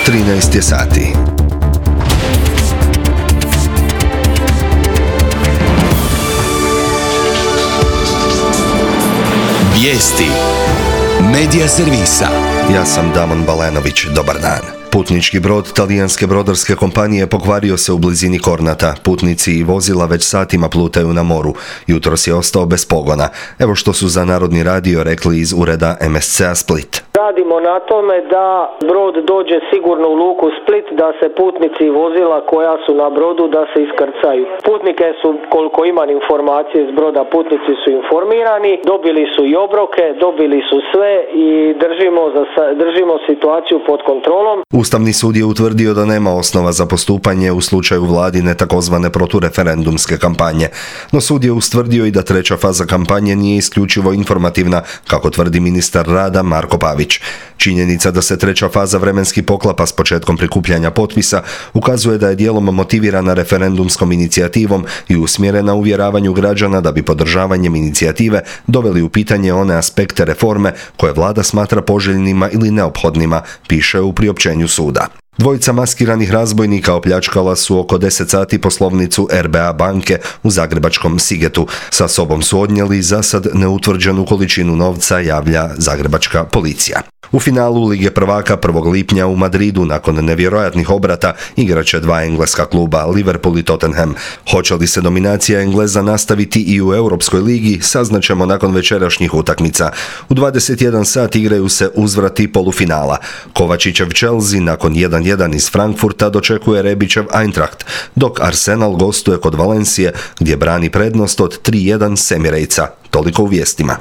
13 je sati. Vijesti Medija servisa. Ja sam Damon Balenović, dobar dan. Putnički brod talijanske brodarske kompanije pokvario se u blizini Kornata. Putnici i vozila već satima plutaju na moru. Jutros je ostao bez pogona. Evo što su za Narodni radio rekli iz ureda MSC-a Split. Radimo na tome da brod dođe sigurno u luku Split, da se putnici i vozila koja su na brodu da se iskrcaju. Putnike su, koliko imam informacije iz broda, putnici su informirani, dobili su i obroke, dobili su sve i držimo situaciju pod kontrolom. Ustavni sud je utvrdio da nema osnova za postupanje u slučaju vladine takozvane protureferendumske kampanje. No sud je ustvrdio i da treća faza kampanje nije isključivo informativna, kako tvrdi ministar rada Marko Pavić. Činjenica da se treća faza vremenski poklapa s početkom prikupljanja potpisa ukazuje da je dijelom motivirana referendumskom inicijativom i usmjerena uvjeravanju građana da bi podržavanjem inicijative doveli u pitanje one aspekte reforme koje vlada smatra poželjnima ili neophodnima, piše u priopćenju suda. Dvojica maskiranih razbojnika opljačkala su oko 10 sati poslovnicu RBA banke u zagrebačkom Sigetu. Sa sobom su odnijeli zasad neutvrđenu količinu novca, javlja zagrebačka policija. U finalu Lige prvaka 1. lipnja u Madridu nakon nevjerojatnih obrata igraće dva engleska kluba, Liverpool i Tottenham. Hoće li se dominacija Engleza nastaviti i u Europskoj ligi, saznaćemo nakon večerašnjih utakmica. U 21 sat igraju se uzvrati polufinala. Kovačićev Chelsea nakon 1-1 iz Frankfurta dočekuje Rebićev Eintracht, dok Arsenal gostuje kod Valencije gdje brani prednost od 3-1 s Emirejca. Toliko u vijestima.